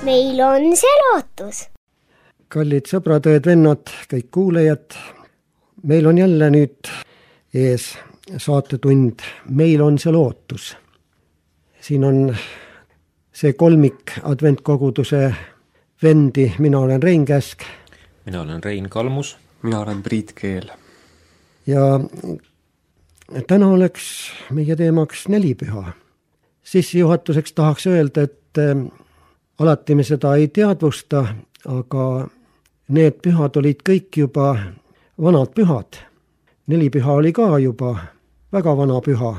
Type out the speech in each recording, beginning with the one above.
meil on see lootus. Kallid sõbrad, õed-vennad, kõik kuulejad, meil on jälle nüüd ees saatetund Meil on see lootus. Siin on see kolmik adventkoguduse vendi, mina olen Rein Käsk. Mina olen Rein Kalmus. Mina olen Priit Keel. Ja täna oleks meie teemaks nelipüha. Sissejuhatuseks tahaks öelda, et alati me seda ei teadvusta, aga need pühad olid kõik juba vanad pühad. Nelipüha oli ka juba väga vana püha,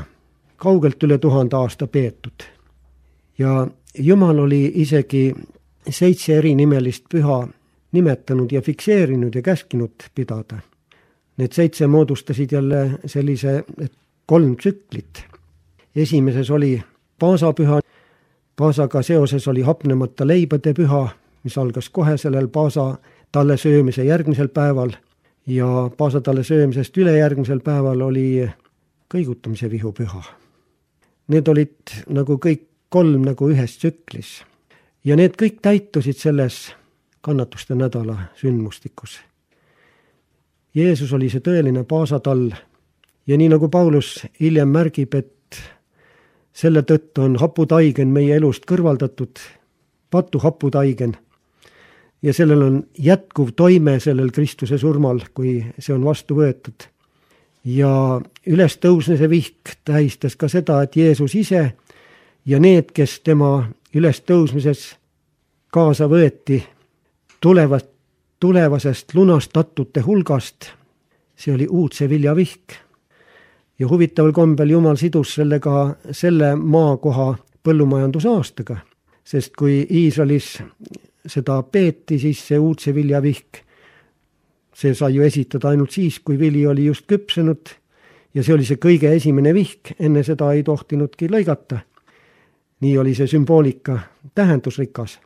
kaugelt üle 1000 aasta peetud. Ja Jumal oli isegi 7 erinimellist püha nimetanud ja fikseerinud ja käskinud pidada. Need 7 moodustasid jälle sellise 3 tsüklit. Esimeses oli paasapüha, paasaga seoses oli hapnemata leibade püha, mis algas kohe sellel paasa talle söömise järgmisel päeval ja paasa talle söömisest ülejärgmisel päeval oli kõigutamise vihupüha. Need olid nagu kõik 3 nagu ühes tsüklis ja need kõik täitusid selles kannatuste nädala sündmustikus. Jeesus oli see tõeline paasatall ja nii nagu Paulus hiljem märgib, et selle tõttu on haputaigen meie elust kõrvaldatud, patu haputaigen, ja sellel on jätkuv toime sellel Kristuse surmal, kui see on vastu võetud. Ja ülestõusmise vihk tähistas ka seda, et Jeesus ise ja need, kes tema ülestõusmises kaasa võeti tulevasest lunastatute hulgast, see oli uudse vilja vihk. Ja huvitaval kombel Jumal sidus sellega selle maakoha põllumajandusaastaga, sest kui Iisraelis seda peeti, siis see uudse vilja vihk, see sai ju esitada ainult siis, kui vili oli just küpsenud ja see oli see kõige esimene vihk, enne seda ei tohtinudki lõigata. Nii oli see sümboolika tähendusrikas.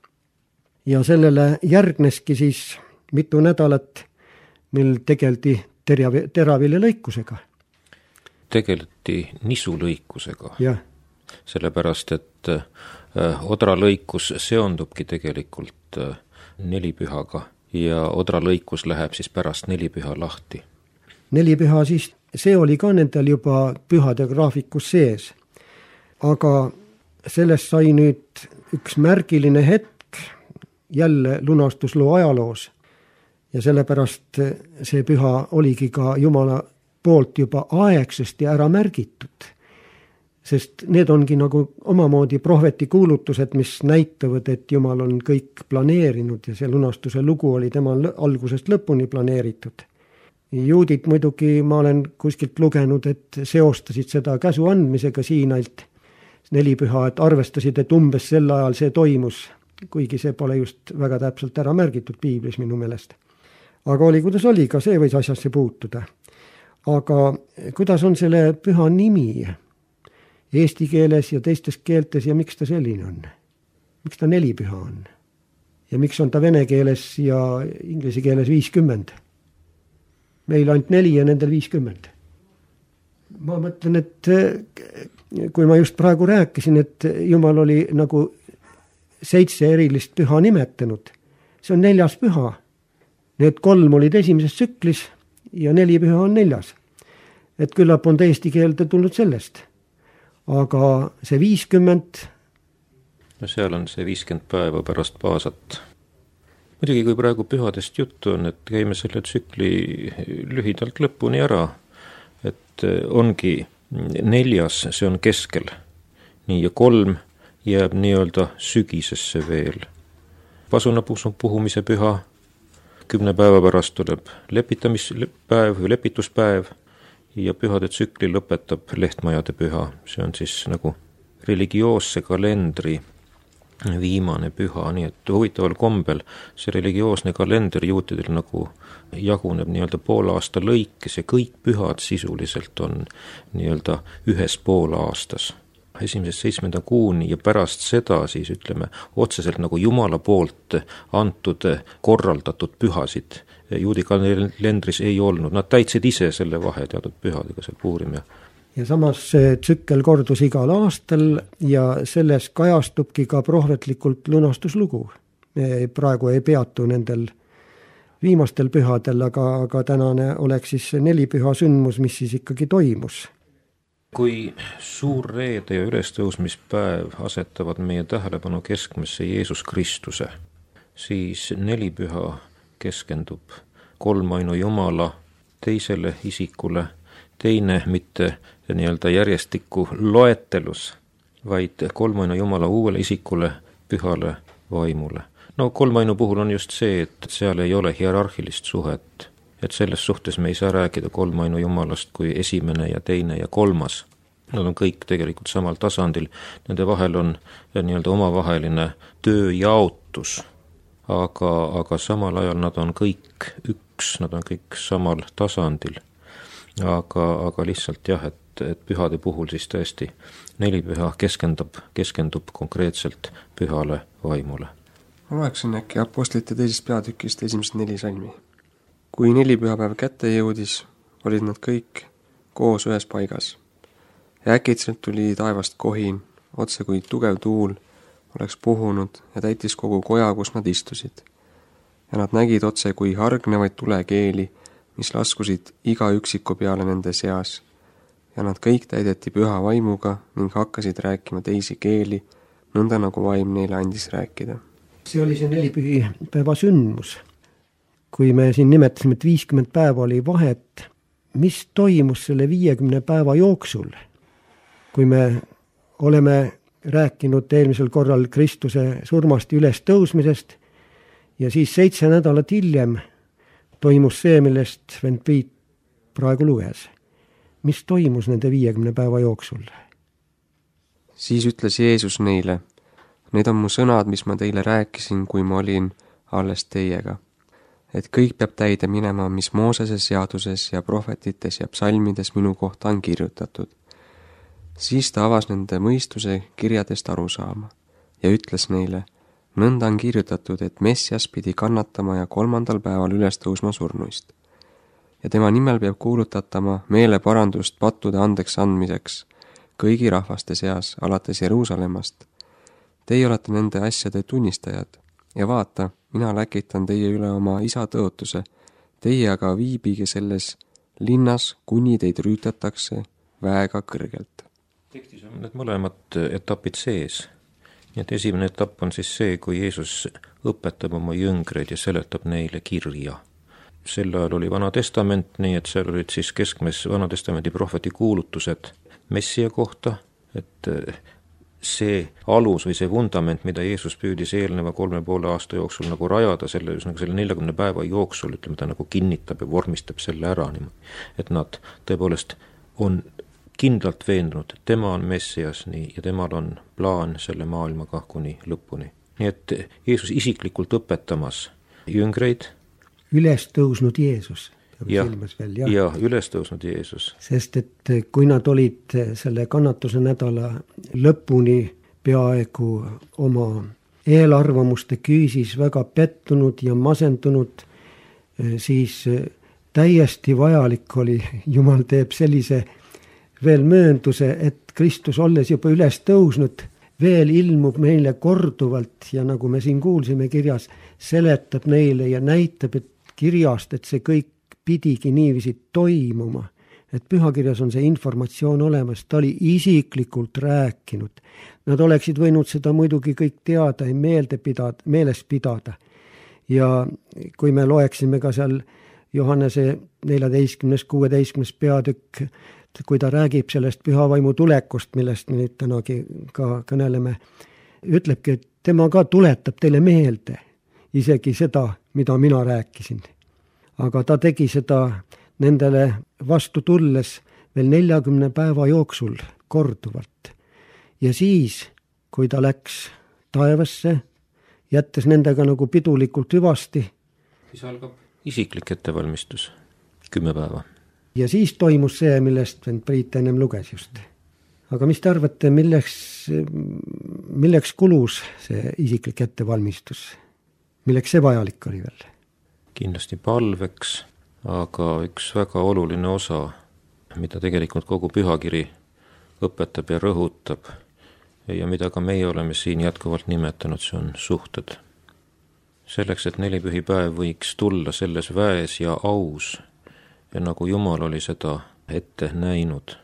Ja sellele järgneski siis mitu nädalat, mil tegeldi teraviljelõikusega. Tegeleti nisulõikusega. Ja. Sellepärast, et odralõikus seondubki tegelikult nelipühaga ja odralõikus läheb siis pärast nelipüha lahti. Nelipüha siis, see oli ka nendel juba pühade graafikus sees. Aga sellest sai nüüd üks märgiline hetk jälle lunastusloo ajaloos ja sellepärast see püha oligi ka Jumala poolt juba aegsesti ära märgitud, sest need ongi nagu omamoodi prohveti kuulutused, mis näitavad, et Jumal on kõik planeerinud ja see lunastuse lugu oli temal algusest lõpuni planeeritud. Juudid muidugi, ma olen kuskilt lugenud, et seostasid seda käsu andmisega Siinailt nelipüha, et arvestasid, et umbes sel ajal see toimus, kuigi see pole just väga täpselt ära märgitud piiblis minu meelest. Aga oli, kuidas oli, ka see võis asjasse puutuda. Aga kuidas on selle püha nimi eesti keeles ja teistes keeltes ja miks ta selline on? Miks ta nelipüha on? Ja miks on ta vene keeles ja inglise keeles 50? Meil ainult 4 ja nendel 50. Ma mõtlen, et kui ma just praegu rääkisin, et Jumal oli nagu 7 erilist püha nimetanud, see on 4. püha. Need 3 olid esimeses tsüklis ja 4 püha on 4. Et küllap on eesti keelde tulnud sellest. Aga see 50... No seal on see 50 päeva pärast paasat. Muidugi, kui praegu pühadest juttu on, et käime selle tsükli lühidalt lõpuni ära, et ongi 4, see on keskel. Nii, ja 3 jääb nii-öelda sügisesse veel. Pasunapuhumise püha, 10 päeva pärast tuleb lepitamispäev või lepituspäev ja pühade tsükli lõpetab lehtmajade püha. See on siis nagu religioosse kalendri viimane püha, nii et huvitaval kombel see religioosne kalender juutidel nagu jaguneb nii-öelda poolaasta lõikes ja kõik pühad sisuliselt on nii-öelda ühes poolaastas. 1.–7. kuuni ja pärast seda siis ütleme otseselt nagu Jumala poolt antud korraldatud pühasid juudi kalendris ei olnud. Nad täitsid ise selle vahe teatud pühadega seal Puurim ja samas see tsükkel kordus igal aastal ja selles kajastubki ka prohvetlikult lunastuslugu. me praegu ei peatu nendel viimastel pühadel, aga tänane oleks siis see nelipüha sündmus, mis siis ikkagi toimus. Kui suur reede ja ülestõusmispäev asetavad meie tähelepanu keskmesse Jeesus Kristuse, siis nelipüha keskendub kolmainu Jumala teisele isikule, teine mitte nii-öelda järjestikku loetelus, vaid kolmainu Jumala uuele isikule, pühale vaimule. No kolmainu puhul on just see, et seal ei ole hierarhilist suhet, et selles suhtes me ei saa rääkida kolmainu Jumalast kui esimene ja teine ja kolmas. Nad on kõik tegelikult samal tasandil, nende vahel on nii-öelda omavaheline tööjaotus, aga samal ajal nad on kõik üks, nad on kõik samal tasandil. Aga lihtsalt jah, et pühade puhul siis tõesti nelipüha keskendub konkreetselt pühale vaimule. Ma loeksin äkki Apostlite teisest peatükist esimesed 4 salmi. Kui nelipühapäev kätte jõudis, olid nad kõik koos ühes paigas. Ja äkitselt tuli taevast kohin, otse kui tugev tuul oleks puhunud ja täitis kogu koja, kus nad istusid. Ja nad nägid otse kui hargnevaid tulekeeli, mis laskusid iga üksiku peale nende seas. Ja nad kõik täideti püha vaimuga ning hakkasid rääkima teisi keeli, nõnda nagu vaim neile andis rääkida. See oli see nelipühipäeva sündmus. Kui me siin nimetasime, et 50 päeva oli vahet, mis toimus selle 50 päeva jooksul? Kui me oleme rääkinud eelmisel korral Kristuse surmast ja ülestõusmisest ja siis 7 nädalat hiljem toimus see, millest vend Priit praegu luges. Mis toimus nende 50 päeva jooksul? Siis ütles Jeesus neile, need on mu sõnad, mis ma teile rääkisin, kui ma olin alles teiega. Et kõik peab täide minema, mis Moosese seaduses ja prohvetites ja psalmides minu kohta on kirjutatud. Siis ta avas nende mõistuse kirjadest aru saama ja ütles neile, nõnda on kirjutatud, et Messias pidi kannatama ja 3. päeval üles tõusma surnuist. Ja tema nimel peab kuulutatama meeleparandust pattude andeks andmiseks kõigi rahvaste seas alates Jeruusalemmast. Teie olete nende asjade tunnistajad ja vaata, mina läkitan teie üle oma isa tõotuse, teie aga viibige selles linnas, kuni teid rüütatakse väega kõrgelt. Tekstis on need mõlemad etapid sees. Nii et esimene etapp on siis see, kui Jeesus õpetab oma jüngreid ja seletab neile kirja. Sel ajal oli Vana Testament, nii et seal olid siis keskmes Vana Testamendi prohveti kuulutused Messia kohta, et see alus või see vundament, mida Jeesus püüdis eelneva 3,5 aasta jooksul nagu rajada, selle 40 päeva jooksul, ütleme, ta nagu kinnitab ja vormistab selle ära, et nad tõepoolest on kindlalt veendunud, et tema on Messias nii, ja temal on plaan selle maailmaga kuni lõpuni. Nii et Jeesus isiklikult õpetamas jüngreid. Üles tõusnud Jeesus. Ja üles tõusnud Jeesus. Sest et kui nad olid selle kannatuse nädala lõpuni peaaegu oma eelarvamuste küüsis väga pettunud ja masendunud, siis täiesti vajalik oli, Jumal teeb sellise veel möönduse, et Kristus olles juba üles tõusnud, veel ilmub meile korduvalt ja nagu me siin kuulsime kirjas, seletab neile ja näitab, et kirjast, et see kõik pidigi niiviisi toimuma, et pühakirjas on see informatsioon olemas, ta oli isiklikult rääkinud. Nad oleksid võinud seda muidugi kõik teada ja meeles pidada. Ja kui me loeksime ka seal Johannese 14.–16. peatükk, kui ta räägib sellest pühavaimu tulekust, millest me nüüd tänagi ka kõneleme, ütlebki, et tema ka tuletab teile meelde isegi seda, mida mina rääkisin. Aga ta tegi seda nendele vastu tulles veel 40 päeva jooksul korduvalt. Ja siis, kui ta läks taevasse, jättes nendega nagu pidulikult hüvasti, siis algab isiklik ettevalmistus, 10 päeva. Ja siis toimus see, millest Priit ennem luges just. Aga mis te arvate, milleks kulus see isiklik ettevalmistus? Milleks see vajalik oli veel? Kindlasti palveks, aga üks väga oluline osa, mida tegelikult kogu pühakiri õpetab ja rõhutab ja mida ka meie oleme siin jätkuvalt nimetanud, see on suhted. selleks, et nelipühipäev võiks tulla selles väes ja aus ja nagu Jumal oli seda ette näinud.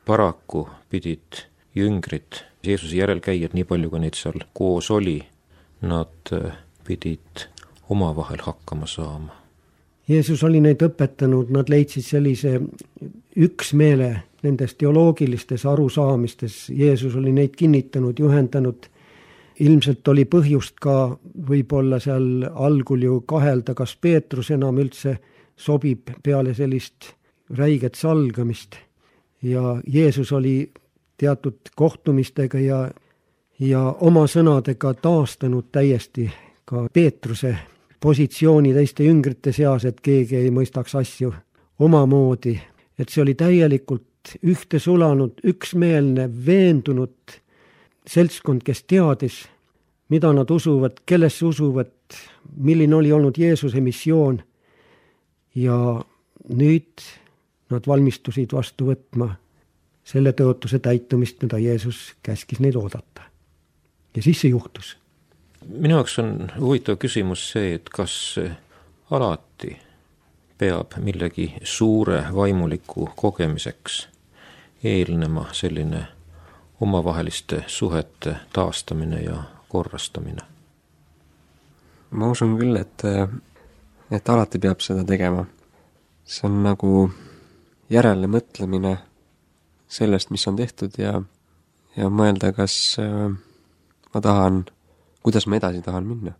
Paraku pidid jüngrid, Jeesuse järelkäijad, nii palju kui neid seal koos oli, nad pidid omavahel hakkama saama. Jeesus oli neid õpetanud, nad leidsid sellise üksmeele nendes teoloogilistes arusaamistes. Jeesus oli neid kinnitanud, juhendanud. Ilmselt oli põhjust ka võib-olla seal algul ju kahelda, kas Peetrus enam üldse sobib peale sellist räiget salgamist. Ja Jeesus oli teatud kohtumistega ja oma sõnadega taastanud täiesti ka Peetruse positsiooni teiste jüngrite seas, et keegi ei mõistaks asju omamoodi. Et see oli täielikult ühte sulanud, üksmeelne, veendunud seltskond, kes teadis, mida nad usuvad, kellesse usuvad, milline oli olnud Jeesuse missioon. Ja nüüd nad valmistusid vastu võtma selle tõotuse täitumist, mida Jeesus käskis neid oodata. Ja siis see juhtus. Minu jaoks on huvitav küsimus see, et kas alati peab millegi suure vaimuliku kogemiseks eelnema selline omavaheliste suhete taastamine ja korrastamine. Ma usun küll, et alati peab seda tegema. See on nagu järele mõtlemine sellest, mis on tehtud ja mõelda, kas ma tahan, kuidas ma edasi tahan minna.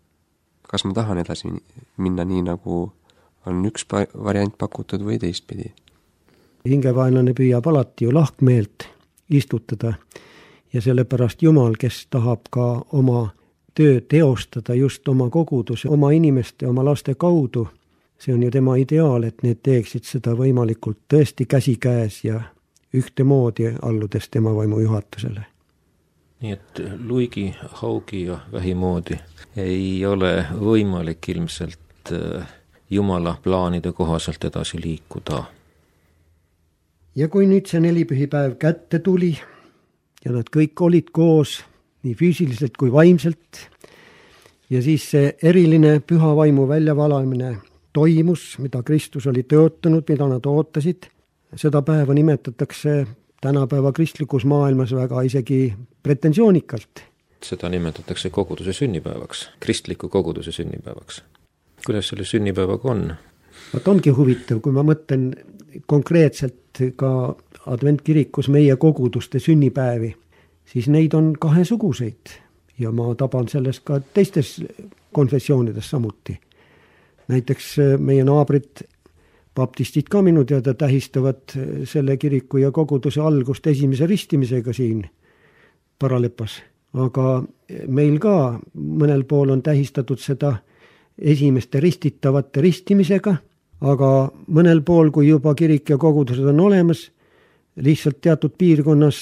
Kas ma tahan edasi minna nii, nagu on üks variant pakutud või teistpidi. Hingevaenlane püüab alati ju lahkmeelt istutada ja sellepärast Jumal, kes tahab ka oma töö teostada just oma koguduse, oma inimeste, oma laste kaudu, see on ju tema ideaal, et need teeksid seda võimalikult tõesti käsikäes ja ühtemoodi alludes tema vaimu juhatusele. Nii et luigi, haugi ja vähimoodi ei ole võimalik ilmselt Jumala plaanide kohaselt edasi liikuda. Ja kui nüüd see nelipühipäev kätte tuli ja nad kõik olid koos nii füüsiliselt kui vaimselt ja siis see eriline püha vaimu väljavalamine toimus, mida Kristus oli tõotanud, mida nad ootasid, seda päeva nimetatakse tänapäeva kristlikus maailmas väga isegi pretensoonikalt. Seda nimetatakse koguduse sünnipäevaks, kristliku koguduse sünnipäevaks. Kuidas selle sünnipäevaga on? Vaat ongi huvitav, kui ma mõtlen konkreetselt ka adventkirikus meie koguduste sünnipäevi, siis neid on kahesuguseid ja ma taban sellest ka teistes konfessioonides samuti. Näiteks meie naabrid baptistid ka minu teada tähistavad selle kiriku ja koguduse algust esimese ristimisega siin Paralepas. Aga meil ka mõnel pool on tähistatud seda esimeste ristitavate ristimisega, aga mõnel pool, kui juba kirik ja kogudused on olemas, lihtsalt teatud piirkonnas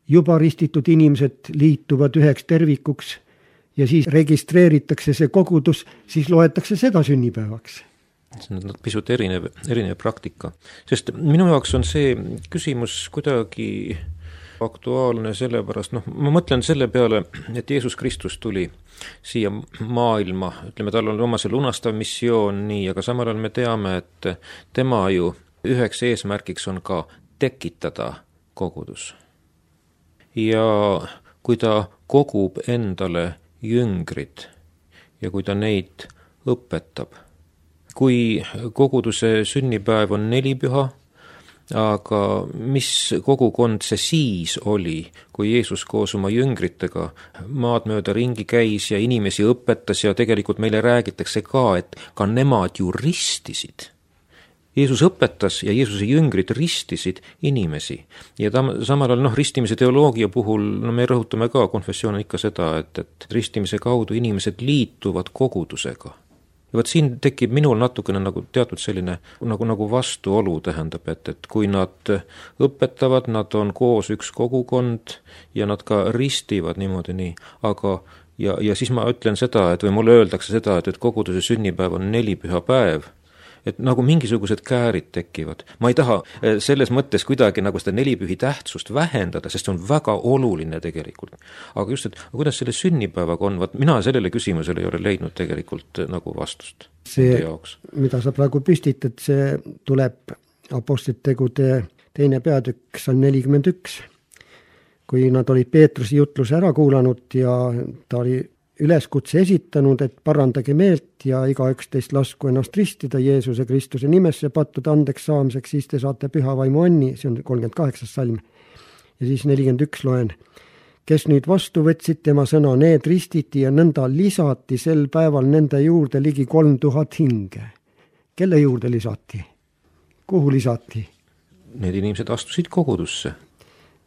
juba ristitud inimesed liituvad üheks tervikuks ja siis registreeritakse see kogudus, siis loetakse seda sünnipäevaks. See on pisut erinev praktika. Sest minu jaoks on see küsimus kuidagi aktuaalne sellepärast, ma mõtlen selle peale, et Jeesus Kristus tuli siia maailma, ütleme, tal on oma see lunastav missioon nii, aga samal ajal me teame, et tema ju üheks eesmärgiks on ka tekitada kogudus. Ja kui ta kogub endale jüngrid ja kui ta neid õpetab, kui koguduse sünnipäev on nelipüha, aga mis kogukond see siis oli, kui Jeesus koos oma jüngritega maad mööda ringi käis ja inimesi õpetas ja tegelikult meile räägitakse ka, et ka nemad ju ristisid. Jeesus õpetas ja Jeesuse jüngrid ristisid inimesi. Ja samal ajal ristimise teoloogia puhul me rõhutame ka, konfessioon on ikka seda, et ristimise kaudu inimesed liituvad kogudusega. Ja võt siin tekib minul natukene nagu teatud selline nagu vastuolu tähendab, et kui nad õpetavad, nad on koos üks kogukond ja nad ka ristivad niimoodi nii, aga ja siis ma ütlen seda, et või mulle öeldakse seda, et koguduse sünnipäev on nelipüha päev, et nagu mingisugused käärid tekivad. Ma ei taha selles mõttes kuidagi nagu seda nelipühi tähtsust vähendada, sest see on väga oluline tegelikult. Aga just, et kuidas selle sünnipäevaga on, mina sellele küsimusele ei ole leidnud tegelikult nagu vastust. See, mida sa praegu püstitad, see tuleb Apostlite tegude 2. peatükk, salm 41, kui nad olid Peetruse jutluse ära kuulanud ja ta oli üleskutse esitanud, et parandage meelt ja igaüks teist lasku ennast ristida Jeesuse Kristuse nimesse pattude andeks saamiseks, siis te saate püha vaimu anni, see on 38. salm. Ja siis 41 loen. Kes nüüd vastu võtsid tema sõna, need ristiti ja nõnda lisati sel päeval nende juurde ligi 3000 hinge. Kelle juurde lisati? Kuhu lisati? Need inimesed astusid kogudusse.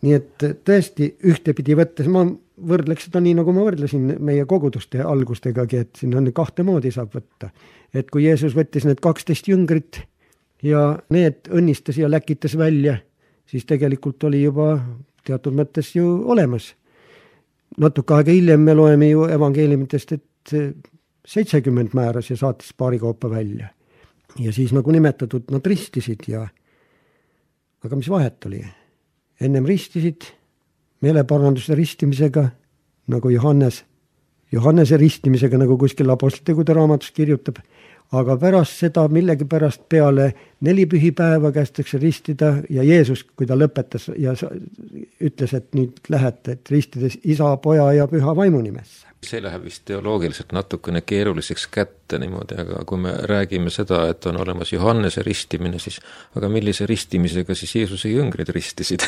Nii et tõesti ühtepidi võttes, ma võrdleks seda nii, nagu ma võrdlesin meie koguduste algustegagi, et siin on 2 moodi saab võtta. Et kui Jeesus võttis need 12 jüngrit ja need õnnistas ja läkitas välja, siis tegelikult oli juba teatud mõttes ju olemas. Natuke aega hiljem me loeme ju evangeeliumitest, et 70 määras ja saatis paari kaupa välja. Ja siis nagu nimetatud, nad ristisid ja aga mis vahet oli? Ennem ristisid meeleparanduse ristimisega, nagu Johannese ristimisega, nagu kuskil Apostlite tegude raamatus kirjutab, aga pärast seda millegipärast peale 4 pühipäeva kästakse ristida ja Jeesus, kui ta lõpetas ja ütles, et nüüd lähete, et ristides Isa, Poja ja Püha Vaimu nimesse. See läheb vist teoloogiliselt natukene keeruliseks kätte niimoodi, aga kui me räägime seda, et on olemas Johannese ristimine, siis aga millise ristimisega siis Jeesuse jüngrid ristisid?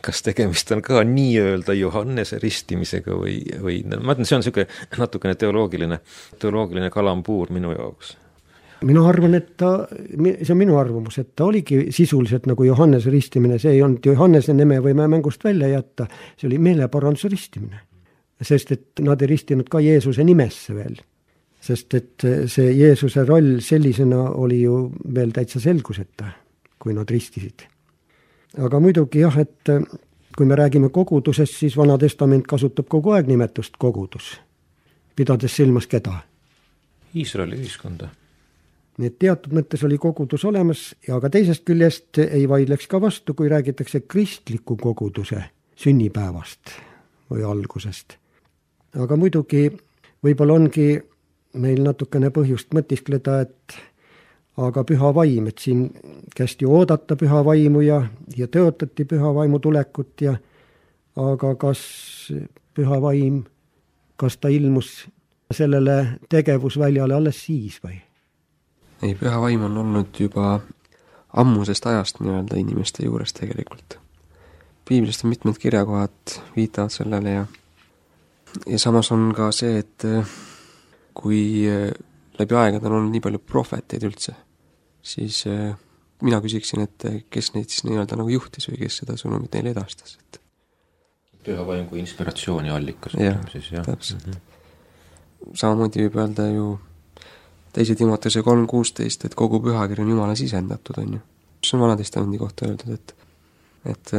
Kas tegemist on ka nii-öelda Johannese ristimisega või ma ütlen, see on niisugune natukene teoloogiline kalambuur minu jaoks. Mina arvan, et see on minu arvamus, et ta oligi sisuliselt nagu Johannese ristimine, see ei olnud Johannese nime võime mängust välja jätta, see oli meeleparanduse ristimine. Sest et nad ei ristinud ka Jeesuse nimesse veel. Sest et see Jeesuse roll sellisena oli ju veel täitsa selguseta, kui nad ristisid. Aga muidugi jah, et kui me räägime kogudusest, siis Vana Testament kasutab kogu aeg nimetust kogudus. Pidades silmas keda? Iisraeli ühiskonda. Nii et teatud mõttes oli kogudus olemas, ja aga teisest küljest ei vaidleks ka vastu, kui räägitakse kristliku koguduse sünnipäevast või algusest. Aga muidugi võib-olla ongi meil natukene põhjust mõtiskleda, et aga püha vaim, et siin kästi oodata püha vaimu ja tõotati püha vaimu tulekut ja aga kas püha vaim, kas ta ilmus sellele tegevusväljale alles siis või? Ei, püha vaim on olnud juba ammusest ajast nii-öelda inimeste juures tegelikult. Piiblist on mitmed kirjakohad viitavad sellele ja samas on ka see, et kui läbi aegade on olnud nii palju prohveteid üldse, siis mina küsiksin, et kes neid siis nii-öelda nagu juhtis või kes seda sõnumit neile edastas. Et... Püha vaim kui inspiratsiooni allikas. Jah, täpselt. Samamoodi võib öelda ju 2. Timoteuse 3.16, et kogu pühakiri on Jumala sisendatud, on ju. See on Vana Testamendi kohta öeldud, et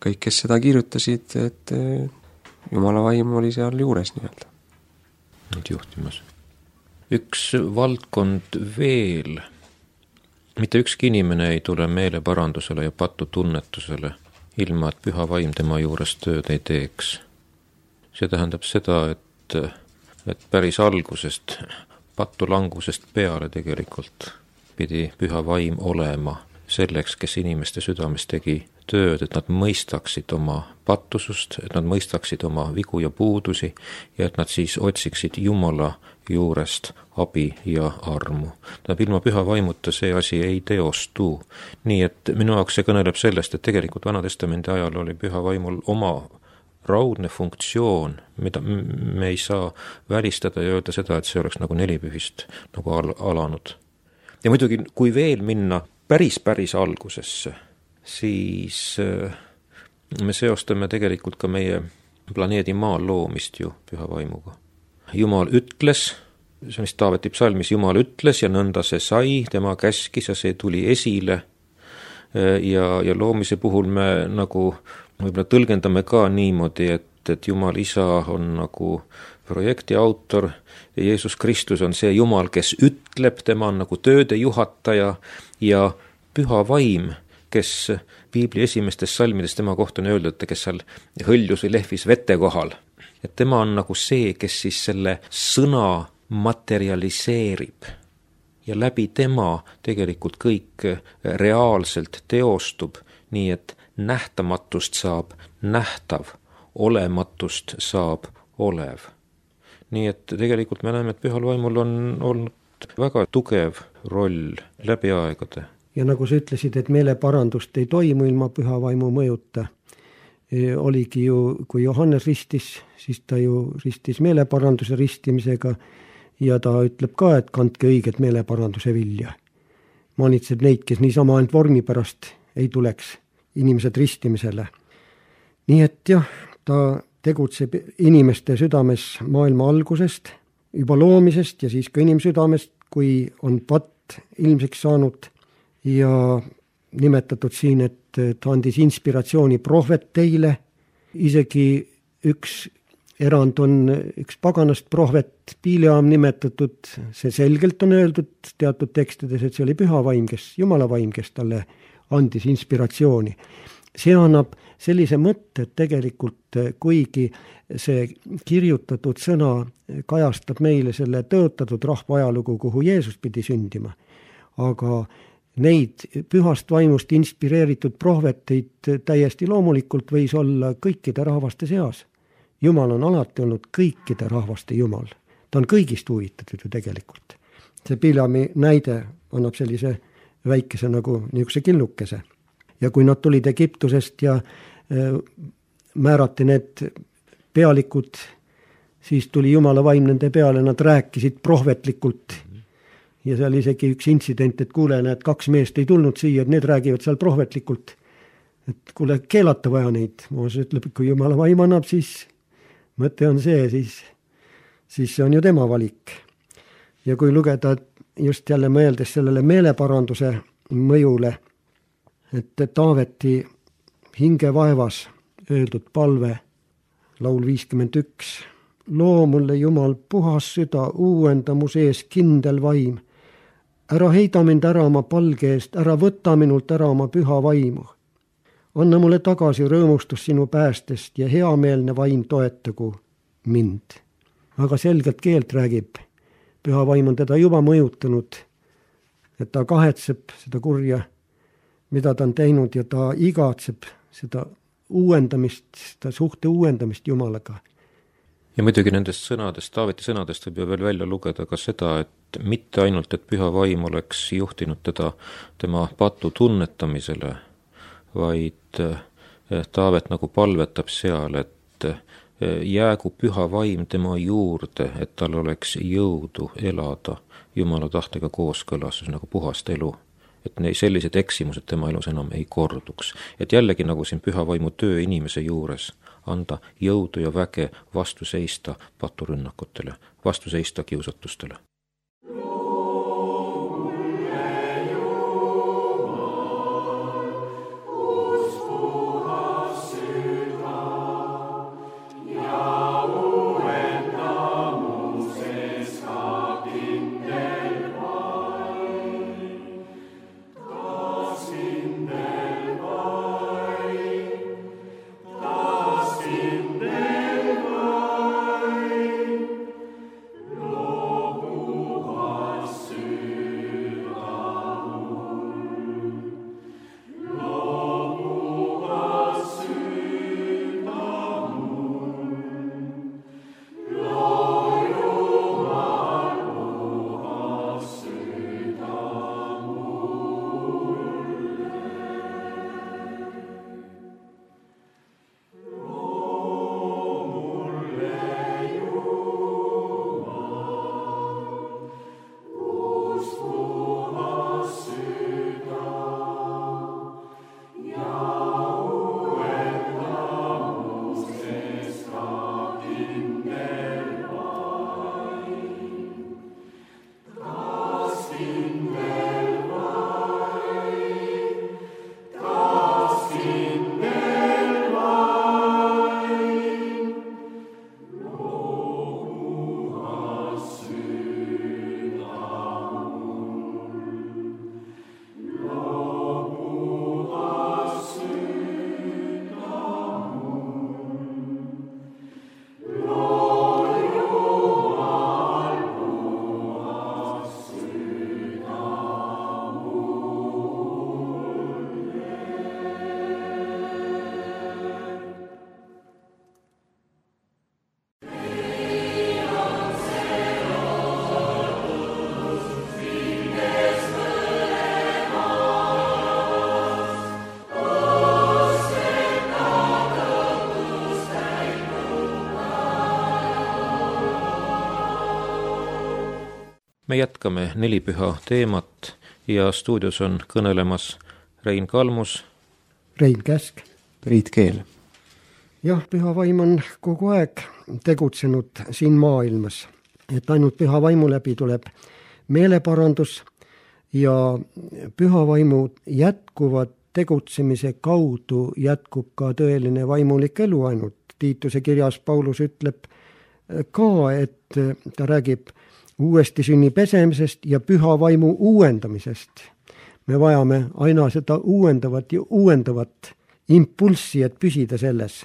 kõik, kes seda kirjutasid, et Jumala vaim oli seal juures nii-öelda. Nüüd juhtimas. Üks valdkond veel. Mitte ükski inimene ei tule meeleparandusele ja patutunnetusele, ilma et püha vaim tema juures tööd ei teeks. See tähendab seda, et päris algusest, patulangusest peale tegelikult pidi püha vaim olema selleks, kes inimeste südames tegi tööd, et nad mõistaksid oma pattusust, et nad mõistaksid oma vigu ja puudusi ja et nad siis otsiksid Jumala juurest abi ja armu. Ilma püha vaimuta see asi ei teostu. Nii et minu jaoks see kõneleb sellest, et tegelikult Vana-testamendi ajal oli püha vaimul oma raudne funktsioon, mida me ei saa välistada ja öelda seda, et see oleks nagu nelipühist nagu alanud. Ja muidugi, kui veel minna päris algusesse, siis me seostame tegelikult ka meie planeedi maa loomist ju püha vaimuga. Jumal ütles, see on vist Taaveti psalmis, Jumal ütles ja nõnda see sai, tema käskis ja see tuli esile ja loomise puhul me nagu võib-olla tõlgendame ka niimoodi, et Jumal isa on nagu projekti autor, Jeesus Kristus on see Jumal, kes ütleb, tema on nagu tööde juhataja ja püha vaim, kes piibli esimestes salmides tema kohta on öeldud, kes seal hõljus või lehvis vete kohal. Et tema on nagu see, kes siis selle sõna materialiseerib ja läbi tema tegelikult kõik reaalselt teostub, nii et nähtamatust saab nähtav, olematust saab olev. Nii et tegelikult me näeme, et pühal vaimul on olnud väga tugev roll läbi aegade. Ja nagu sa ütlesid, et meeleparandust ei toimu ilma püha vaimu mõjuta, oligi ju, kui Johannes ristis, siis ta ju ristis meeleparanduse ristimisega ja ta ütleb ka, et kandke õiget meeleparanduse vilja. Manitseb neid, kes niisama ainult vormi pärast ei tuleks inimesed ristimisele. Nii et jah, ta tegutseb inimeste südames maailma algusest, juba loomisest ja siis ka inimsüdamest, kui on patt ilmseks saanud ja nimetatud siin, et ta andis inspiratsiooni prohveteile, isegi üks erand on üks paganast prohvet Pileam nimetatud, see selgelt on öeldud teatud tekstides, et see oli püha vaim, Jumala vaim, kes talle andis inspiratsiooni. See annab sellise mõtte, et tegelikult kuigi see kirjutatud sõna kajastab meile selle tõotatud rahva ajalugu, kuhu Jeesus pidi sündima, aga neid pühast vaimust inspireeritud prohveteid täiesti loomulikult võis olla kõikide rahvaste seas. Jumal on alati olnud kõikide rahvaste Jumal. Ta on kõigist huvitatud ju tegelikult. See Pileami näide annab sellise väikese nagu niisuguse killukese. Ja kui nad tulid Egiptusest ja määrati need pealikud, siis tuli Jumala vaim nende peale, nad rääkisid prohvetlikult. Ja seal isegi üks intsident, et kuule, need 2 meest ei tulnud siia, et need räägivad seal prohvetlikult. Et kuule, keelata vaja neid. Mooses ütleb, kui Jumala vaim annab, siis mõte on see, siis see on ju tema valik. Ja kui lugeda just jälle mõeldes sellele meeleparanduse mõjule, et Taaveti hingevaevas öeldud palve, laul 51, loo mulle Jumal puhas süda, uuenda mu sees kindel vaim. Ära heida mind ära oma palge eest, ära võta minult ära oma püha vaimu. Anna mulle tagasi rõõmustus sinu päästest ja heameelne vaim toetagu mind. Aga selgelt keelt räägib. Püha vaim on teda juba mõjutanud, et ta kahetseb seda kurja, mida ta on teinud ja ta igatseb seda uuendamist, seda suhte uuendamist Jumalaga. Ja muidugi nendest sõnadest, Taaveti sõnadest võib ju veel välja lugeda ka seda, et mitte ainult, et püha vaim oleks juhtinud teda tema patu tunnetamisele, vaid Taavet nagu palvetab seal, et jäägu püha vaim tema juurde, et tal oleks jõudu elada Jumala tahtega kooskõlas, nagu puhast elu. Et sellised eksimused tema elus enam ei korduks. Et jällegi nagu siin püha vaimu töö inimese juures anda jõudu ja väge vastu seista paturünnakutele, vastu seista kiusatustele. me jätkame nelipüha teemat ja stuudios on kõnelemas Rein Kalmus, Rein Käsk. Priit Keel. Jah, püha vaim on kogu aeg tegutsenud siin maailmas, et ainult püha vaimu läbi tuleb meeleparandus ja püha vaimu jätkuvat tegutsemise kaudu jätkub ka tõeline vaimulik elu ainult. Tiituse kirjas Paulus ütleb ka, et ta räägib uuesti sünni pesemisest ja püha vaimu uuendamisest. Me vajame aina seda uuendavat ja uuendavat impulssi, et püsida selles.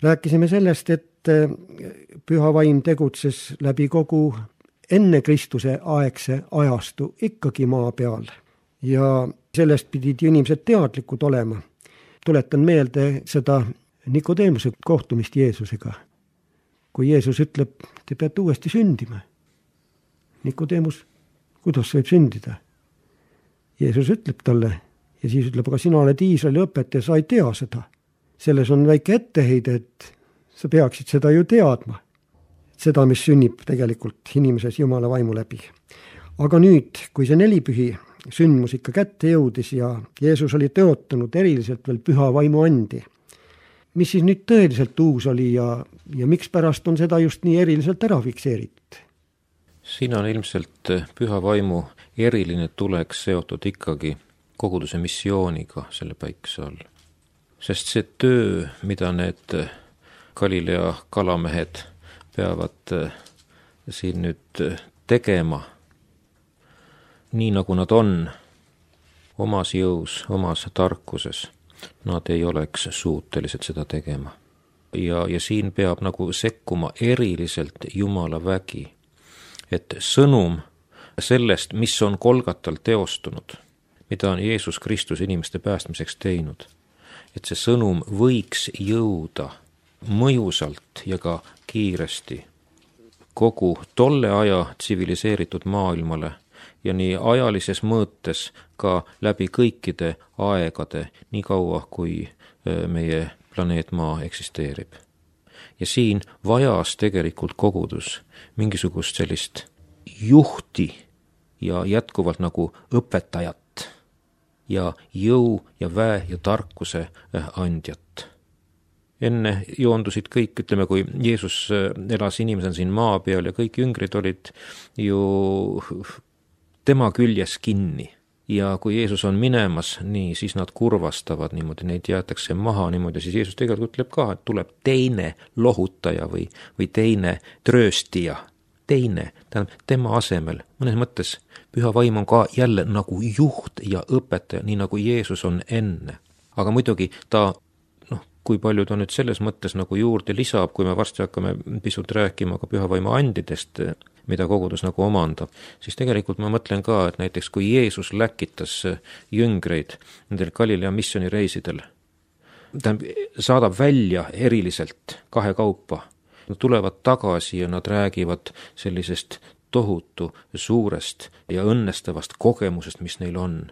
Rääkisime sellest, et püha vaim tegutses läbi kogu enne Kristuse aegse ajastu ikkagi maa peal. Ja sellest pidid inimesed teadlikud olema. Tuletan meelde seda Nikodeemuse kohtumist Jeesusega. Kui Jeesus ütleb, te peate uuesti sündima. Nikodeemus, kuidas võib sündida? Jeesus ütleb talle ja siis ütleb, aga sina oled Iisraeli õpetaja, sa ei tea seda. Selles on väike etteheide, et sa peaksid seda ju teadma. Seda, mis sünnib tegelikult inimeses Jumala vaimu läbi. Aga nüüd, kui see nelipühi sündmus ikka kätte jõudis ja Jeesus oli tõotanud eriliselt veel püha vaimu andi, mis siis nüüd tõeliselt uus oli ja miks pärast on seda just nii eriliselt ära fikseeritud? Siin on ilmselt püha vaimu eriline tulek seotud ikkagi koguduse missiooniga selle päikese all. Sest see töö, mida need Galilea kalamehed peavad siin nüüd tegema, nii nagu nad on, omas jõus, omas tarkuses, nad ei oleks suutelised seda tegema. Ja siin peab nagu sekkuma eriliselt Jumala vägi, et sõnum sellest, mis on Golgatal teostunud, mida on Jeesus Kristus inimeste päästmiseks teinud, et see sõnum võiks jõuda mõjusalt ja ka kiiresti kogu tolle aja tsiviliseeritud maailmale ja nii ajalises mõõtes ka läbi kõikide aegade, nii kaua kui meie planeet Maa eksisteerib. Ja siin vajas tegelikult kogudus mingisugust sellist juhti ja jätkuvalt nagu õpetajat ja jõu ja väe ja tarkuse andjat. Enne joondusid kõik, ütleme, kui Jeesus elas inimesena siin maa peal ja kõik jüngrid olid ju tema küljes kinni. Ja kui Jeesus on minemas, nii, siis nad kurvastavad niimoodi, neid jäetakse maha niimoodi, siis Jeesus tegelikult ütleb ka, et tuleb teine lohutaja või teine trööstija, teine, tähendab tema asemel. Mõnes mõttes püha vaim on ka jälle nagu juht ja õpetaja, nii nagu Jeesus on enne. Aga muidugi ta, kui palju ta nüüd selles mõttes nagu juurde lisab, kui me varsti hakkame pisut rääkima ka püha vaimu andidest, mida kogudus nagu omandab, siis tegelikult ma mõtlen ka, et näiteks kui Jeesus läkitas jüngreid nendel Galilea missioonireisidel, ta saadab välja eriliselt kahekaupa, nad tulevad tagasi ja nad räägivad sellisest tohutu suurest ja õnnestavast kogemusest, mis neil on.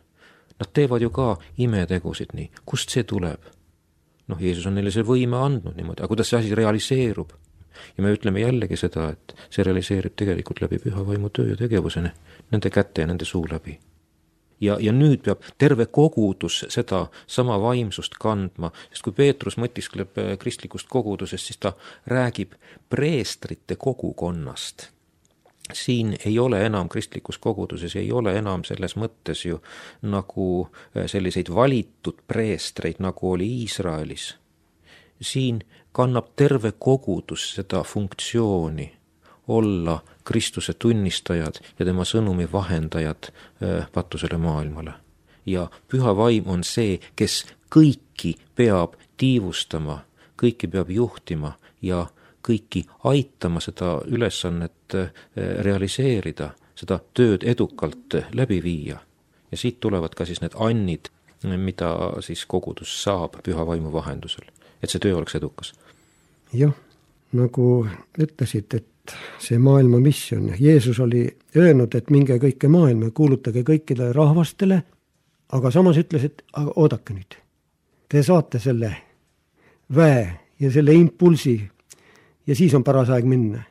Nad teevad ju ka imetegusid nii. Kust see tuleb? Jeesus on neile see võime andnud niimoodi, aga kuidas see asi realiseerub? Ja me ütleme jällegi seda, et see realiseerib tegelikult läbi püha vaimu töö ja tegevusene, nende käte ja nende suu läbi. Ja nüüd peab terve kogudus seda sama vaimsust kandma, sest kui Peetrus mõtiskleb kristlikust kogudusest, siis ta räägib preestrite kogukonnast. Siin ei ole enam kristlikus koguduses, ei ole enam selles mõttes ju nagu selliseid valitud preestreid, nagu oli Iisraelis. Siin kannab terve kogudus seda funktsiooni olla Kristuse tunnistajad ja tema sõnumi vahendajad patusele maailmale. Ja püha vaim on see, kes kõiki peab tiivustama, kõiki peab juhtima ja kõiki aitama seda ülesannet realiseerida, seda tööd edukalt läbi viia. Ja siit tulevad ka siis need annid, mida siis kogudus saab püha vaimu vahendusel, et see töö oleks edukas. Jah, nagu ütlesid, et see maailma missioon, Jeesus oli öelnud, et minge kõike maailma, kuulutage kõikidele rahvastele, aga samas ütles, et oodake nüüd, te saate selle väe ja selle impulsi, ja siis on paras aeg minna.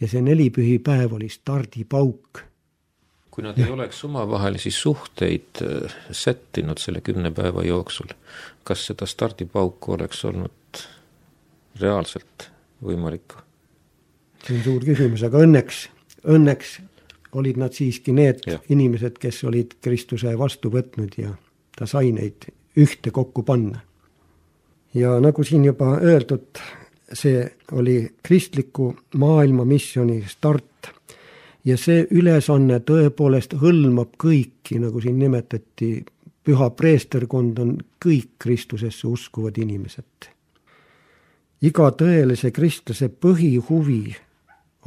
ja see nelipühipäev oli stardipauk. Kui nad ei oleks omavahelisi suhteid sättinud selle 10 päeva jooksul, kas seda stardipauku oleks olnud reaalselt võimalik? See on suur küsimus, aga õnneks olid nad siiski need inimesed, kes olid Kristuse vastu võtnud ja ta sai neid ühte kokku panna. Ja nagu siin juba öeldud, see oli kristliku maailma missiooni start ja see ülesanne tõepoolest hõlmab kõiki, nagu siin nimetati, püha preesterkond on kõik Kristusesse uskuvad inimesed. Iga tõelise kristlase põhihuvi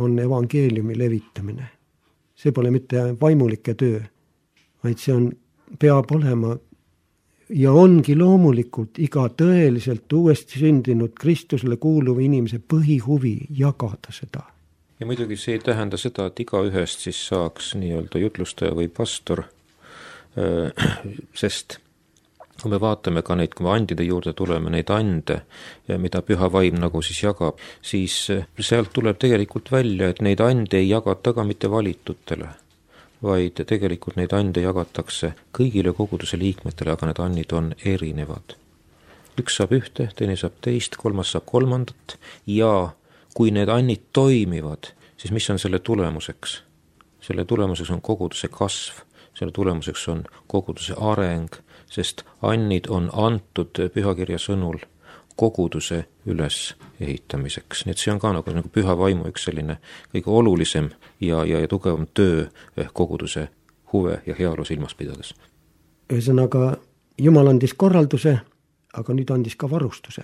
on evangeeliumi levitamine. See pole mitte vaimulike töö, vaid see peab olema ja ongi loomulikult iga tõeliselt uuesti sündinud Kristusele kuuluva inimese põhihuvi jagada seda. Ja muidugi see ei tähenda seda, et iga ühest siis saaks nii-öelda jutlustaja või pastor, sest kui me vaatame ka neid, kui me andide juurde tuleme, neid ande, mida püha vaim nagu siis jagab, siis sealt tuleb tegelikult välja, et neid ande ei jagata ka mitte valitutele, vaid tegelikult neid ande jagatakse kõigile koguduse liikmetele, aga need annid on erinevad. Üks saab ühte, teine saab teist, kolmas saab kolmandat ja kui need annid toimivad, siis mis on selle tulemuseks? Selle tulemuseks on koguduse kasv, selle tulemuseks on koguduse areng, sest annid on antud pühakirja sõnul koguduse üles ehitamiseks. Nii et see on ka nagu püha vaimu üks selline kõige olulisem ja tugevam töö koguduse huve ja heaolu silmas pidades. Ühesõnaga, Jumal andis korralduse, aga nüüd andis ka varustuse,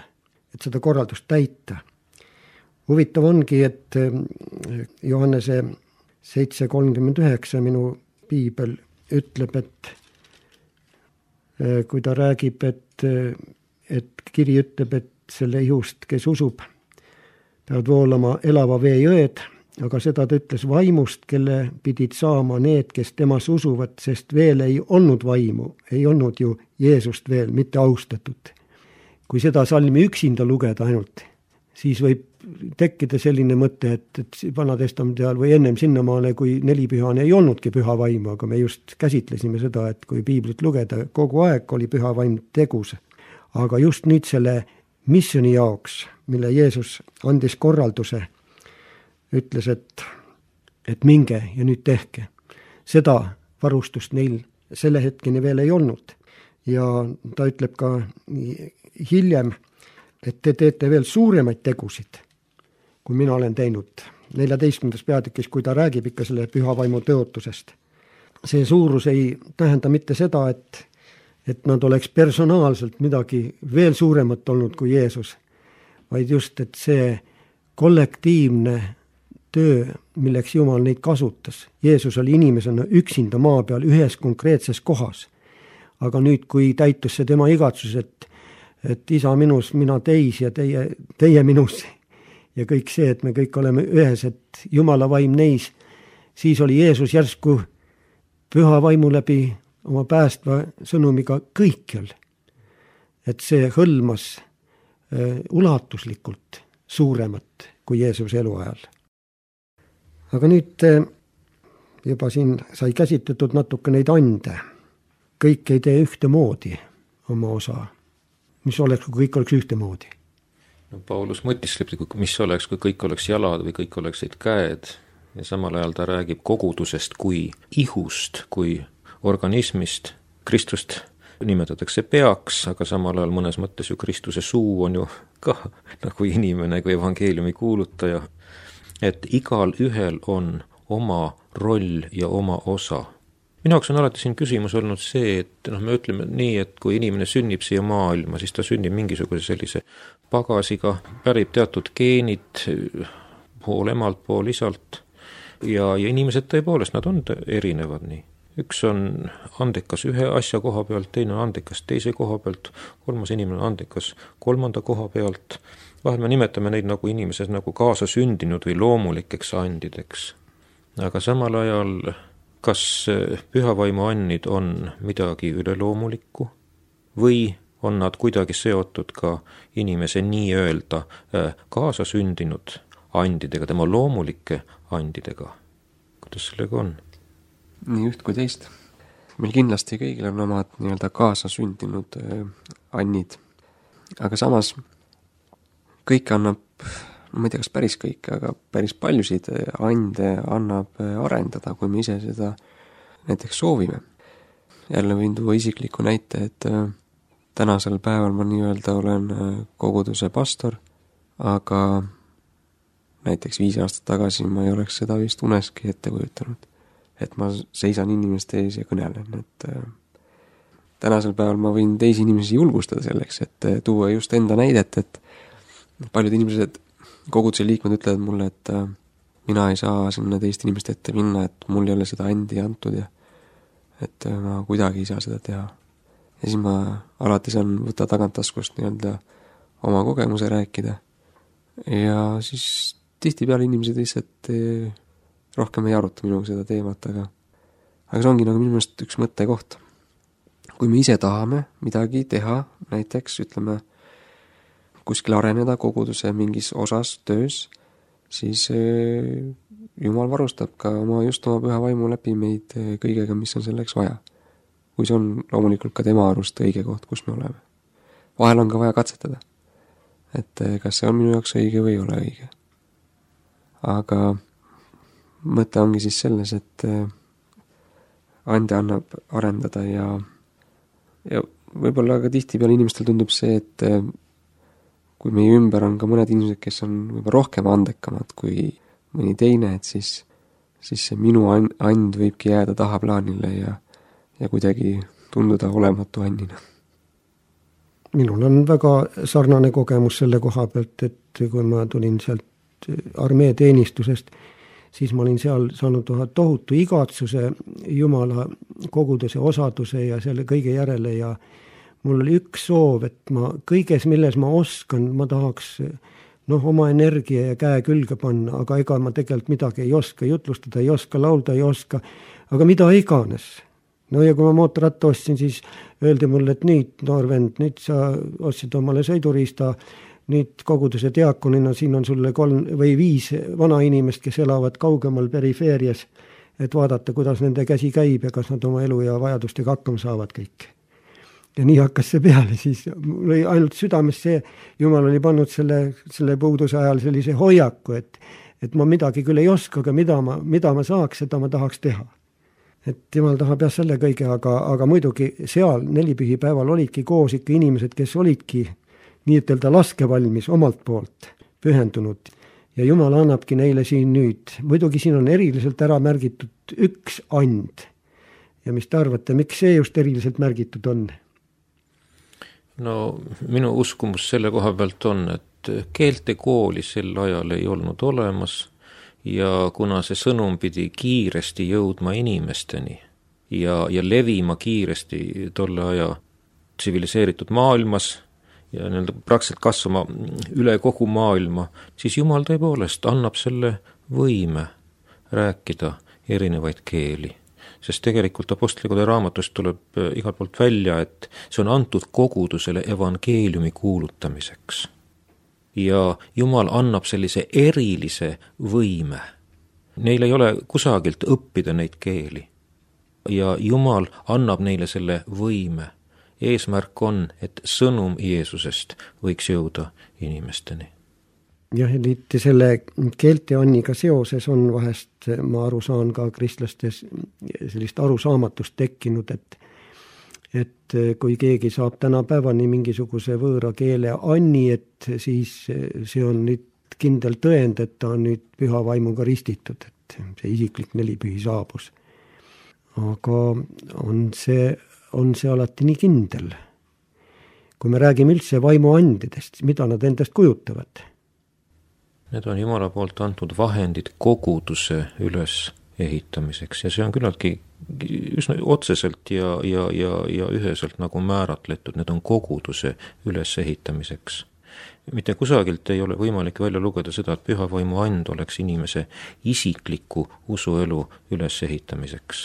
et seda korraldust täita. Huvitav ongi, et Johannese 7:39 minu piibel ütleb, et kui ta räägib, et kiri ütleb, et selle ihust, kes usub, peavad voolama elava vee jõed, aga seda ta ütles vaimust, kelle pidid saama need, kes temas usuvad, sest veel ei olnud vaimu, ei olnud ju Jeesust veel mitte austatud. Kui seda salmi üksinda lugeda ainult, siis võib tekkida selline mõte, et Vanatestamendi ajal või ennem sinnamaale, kui nelipühane ei olnudki püha vaimu, aga me just käsitlesime seda, et kui piiblit lugeda, kogu aeg oli püha vaim tegus. Aga just nüüd selle missiooni jaoks, mille Jeesus andis korralduse, ütles, et minge ja nüüd tehke. Seda varustust neil selle hetkeni veel ei olnud. Ja ta ütleb ka hiljem, et te teete veel suuremaid tegusid, kui mina olen teinud 14. peatükis, kui ta räägib ikka selle püha vaimu tõotusest. See suurus ei tähenda mitte seda, et nad oleks personaalselt midagi veel suuremat olnud kui Jeesus, vaid just, et see kollektiivne töö, milleks Jumal neid kasutas. Jeesus oli inimesena üksinda maa peal ühes konkreetses kohas. Aga nüüd, kui täitus see tema igatsus, et isa minus, mina teis ja teie minus ja kõik see, et me kõik oleme ühes, et Jumala vaim neis, siis oli Jeesus järsku püha vaimu läbi oma päästva sõnumiga kõikjal. Et see hõlmas ulatuslikult suuremat kui Jeesuse eluajal. Aga nüüd juba siin sai käsitletud natuke neid ande. Kõik ei tee ühtemoodi oma osa. Mis oleks, kui kõik oleks ühtemoodi? No, Paulus mõtisleb, mis oleks, kui kõik oleks jalad või kõik oleksid käed. Ja samal ajal ta räägib kogudusest kui ihust, kui organismist. Kristust nimetatakse peaks, aga samal ajal mõnes mõttes ju Kristuse suu on ju ka nagu inimene kui evangeeliumi kuulutaja. Et igal ühel on oma roll ja oma osa. Minu jaoks on alati siin küsimus olnud see, et me ütleme nii, et kui inimene sünnib siia maailma, siis ta sünnib mingisuguse sellise pagasiga, pärib teatud geenid pool emalt, pool isalt ja inimesed tõepoolest, nad on erinevad nii. Üks on andekas ühe asja koha pealt, teine on andekas teise koha pealt, kolmas inimene on andekas kolmanda koha pealt. Vahel me nimetame neid nagu inimesed nagu kaasa sündinud või loomulikeks andideks. Aga samal ajal, kas pühavaimu annid on midagi üleloomulikku või on nad kuidagi seotud ka inimese nii öelda kaasa sündinud andidega, tema loomulike andidega. Kuidas sellega on? Nii üht kui teist. Meil kindlasti kõigil on omad nii-öelda kaasasündinud annid. Aga samas kõik annab, ma ei tea, kas päris kõik, aga päris paljusid ande annab arendada, kui me ise seda näiteks soovime. Jälle võin tuua isikliku näite, et tänasel päeval ma nii-öelda olen koguduse pastor, aga näiteks 5 aastat tagasi ma ei oleks seda vist uneski ette kujutanud, et ma seisan inimeste ees ja kõnelen, et tänasel päeval ma võin teisi inimesi julgustada selleks, et tuua just enda näidet, et paljud inimesed, koguduse liikmed ütlevad mulle, et mina ei saa sinna teiste inimeste ette minna, et mul ei ole seda andi antud ja et ma kuidagi ei saa seda teha. Ja siis ma alati saan võtta tagantaskust nii-öelda oma kogemuse rääkida ja siis tihtipeale inimesed lihtsalt rohkem ei aruta minuga seda teemat, aga see ongi nagu minu meelest üks mõttekoht. Kui me ise tahame midagi teha, näiteks ütleme kuskil areneda koguduse mingis osas töös, siis Jumal varustab ka oma püha vaimu läbi meid kõigega, mis on selleks vaja. Kui see on loomulikult ka tema arust õige koht, kus me oleme. Vahel on ka vaja katsetada, et kas see on minu jaoks õige või ei ole õige. Aga mõte ongi siis selles, et ande annab arendada ja võib-olla ka tihtipeale inimestel tundub see, et kui meie ümber on ka mõned inimesed, kes on võib-olla rohkem andekamad kui mõni teine, et siis see minu and võibki jääda tahaplaanile ja kuidagi tunduda olematu annina. Minul on väga sarnane kogemus selle koha pealt, et kui ma tulin sealt armee teenistusest, siis ma olin seal saanud tohutu igatsuse Jumala koguduse osaduse ja selle kõige järele ja mul oli üks soov, et ma kõiges, milles ma oskan, ma tahaks oma energia ja käe külge panna, aga ega ma tegelikult midagi ei oska jutlustada, ei oska laulda, ei oska, aga mida iganes. No ja kui ma mootorratta ostsin, siis öeldi mulle, et nüüd, noor vend, nüüd sa ostsid omale sõiduriista, nüüd koguduse diakonina, siin on sulle 3 või 5 vana inimest, kes elavad kaugemal perifeerias, et vaadata, kuidas nende käsi käib ja kas nad oma elu ja vajadustega hakkama saavad kõik. Ja nii hakkas see peale, siis mul oli ainult südames see, Jumal oli pannud selle puuduse ajal sellise hoiaku, et ma midagi küll ei oska, aga mida ma saaks, seda ma tahaks teha. Et Jumal tahab jah selle kõige, aga muidugi seal 4 pühipäeval olidki koos ikka inimesed, kes olidki nii ütelda laskevalmis omalt poolt pühendunud. Ja Jumal annabki neile siin nüüd. Muidugi siin on eriliselt ära märgitud üks and. Ja mis te arvate, miks see just eriliselt märgitud on? No minu uskumus selle koha pealt on, et keeltekooli sel ajal ei olnud olemas ja kuna see sõnum pidi kiiresti jõudma inimesteni ja levima kiiresti tolle aja tsiviliseeritud maailmas ja praktiliselt kasvama üle kogu maailma, siis Jumal tõepoolest annab selle võime rääkida erinevaid keeli. Sest tegelikult Apostlikoda raamatust tuleb igalt poolt välja, et see on antud kogudusele evangeeliumi kuulutamiseks. Ja Jumal annab sellise erilise võime. Neil ei ole kusagilt õppida neid keeli. Ja Jumal annab neile selle võime. Eesmärk on, et sõnum Jeesusest võiks jõuda inimesteni. Jah, liiti selle keelte anniga seoses on vahest, ma aru saan ka kristlastes sellist arusaamatust tekkinud, et kui keegi saab tänapäevani mingisuguse võõra keele anni, et siis see on nüüd kindel tõend, et ta on nüüd püha vaimuga ristitud, et see isiklik 4 pühi saabus. Aga on see alati nii kindel. Kui me räägime üldse vaimuandidest, mida nad endast kujutavad? Need on Jumala poolt antud vahendid koguduse üles ehitamiseks ja see on küllaltki üsna otseselt ja üheselt nagu määratletud, need on koguduse üles ehitamiseks. Mitte kusagilt ei ole võimalik välja lugeda seda, et püha vaimu and oleks inimese isikliku usuelu üles ehitamiseks.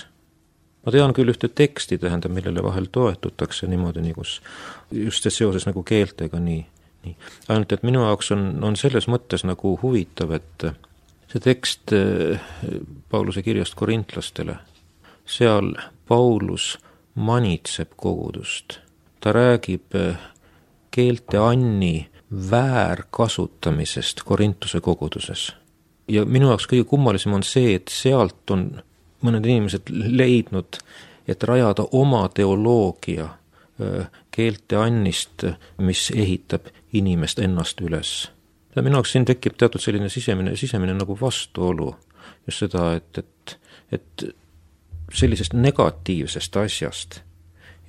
Ma tean küll ühte teksti, millele vahel toetutakse niimoodi, kus just seoses nagu keeltega nii nii. Ainult, et minu jaoks on selles mõttes nagu huvitav, et see tekst Pauluse kirjast korintlastele, seal Paulus manitseb kogudust. Ta räägib keelte anni väärkasutamisest Korintuse koguduses. Ja minu jaoks kõige kummalisem on see, et sealt on mõned inimesed leidnud, et rajada oma teoloogia keelte annist, mis ehitab inimest ennast üles. Ja minu jaoks siin tekib teatud selline sisemine nagu vastuolu. Just seda, et sellisest negatiivsest asjast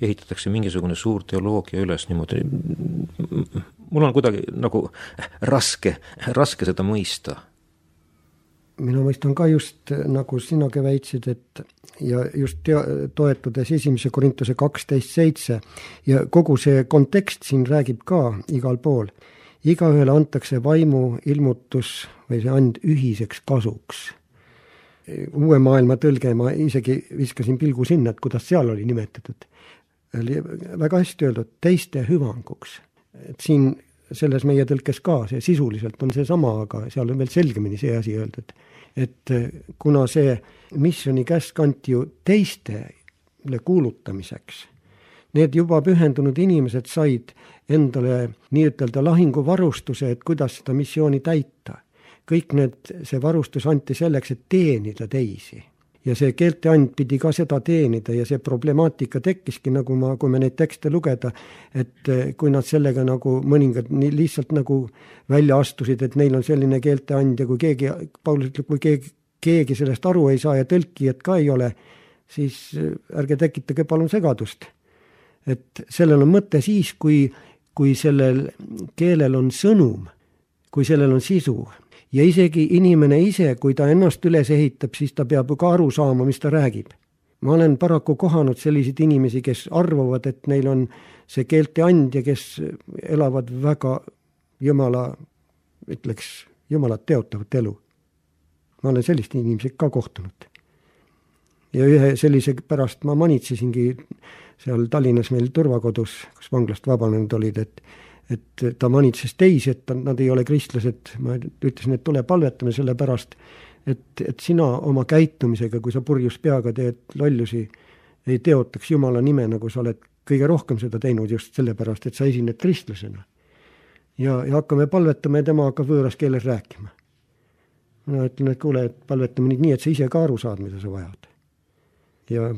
ehitatakse mingisugune suur teoloogia üles niimoodi. Mul on kuidagi nagu raske seda mõista. Mina mõistan ka just, nagu sinagi väitsid, et ja just toetudes 1. Korintuse 12.7 ja kogu see kontekst siin räägib ka igal pool. Igaühele antakse vaimu ilmutus või see and ühiseks kasuks. Uue maailma tõlge, ma isegi viskasin pilgu sinna, et kuidas seal oli nimetatud. Oli väga hästi öeldud, teiste hüvanguks. Et siin selles meie tõlkes ka, see sisuliselt on see sama, aga seal on veel selgemini see asi öeldud. Et kuna see missiooni käsk anti ju teistele kuulutamiseks, need juba pühendunud inimesed said endale nii-ütelda lahinguvarustuse, et kuidas seda missiooni täita. Kõik see varustus anti selleks, et teenida teisi. Ja see keelte and pidi ka seda teenida ja see problemaatika tekkiski, nagu kui me neid tekste lugeda, et kui nad sellega nagu mõningad lihtsalt nagu välja astusid, et neil on selline keelte and ja kui Paulus ütleb, kui keegi sellest aru ei saa ja tõlkijat ka ei ole, siis ärge tekitage palun segadust. Et sellel on mõte siis, kui sellel keelel on sõnum, kui sellel on sisu. Ja isegi inimene ise, kui ta ennast üles ehitab, siis ta peab ka aru saama, mis ta räägib. Ma olen paraku kohanud selliseid inimesi, kes arvavad, et neil on see keelte and ja kes elavad väga Jumalat teotavat elu. Ma olen sellist inimesed ka kohtunud. Ja ühe sellise pärast ma manitsesingi seal Tallinnas meil turvakodus, kus vanglast vabanenud olid, et ta manitses teisi, et nad ei ole kristlased. Ma ütlesin, et tule palvetame selle pärast, et sina oma käitumisega, kui sa purjus peaga teed lollusi, ei teotaks Jumala nime, nagu sa oled kõige rohkem seda teinud just selle pärast, et sa esined kristlasena. Ja hakkame palvetama ja tema hakkab võõras keeles rääkima. Ma ütlen, et kuule, et palvetame nii, et sa ise ka aru saad, mida sa vajad. Ja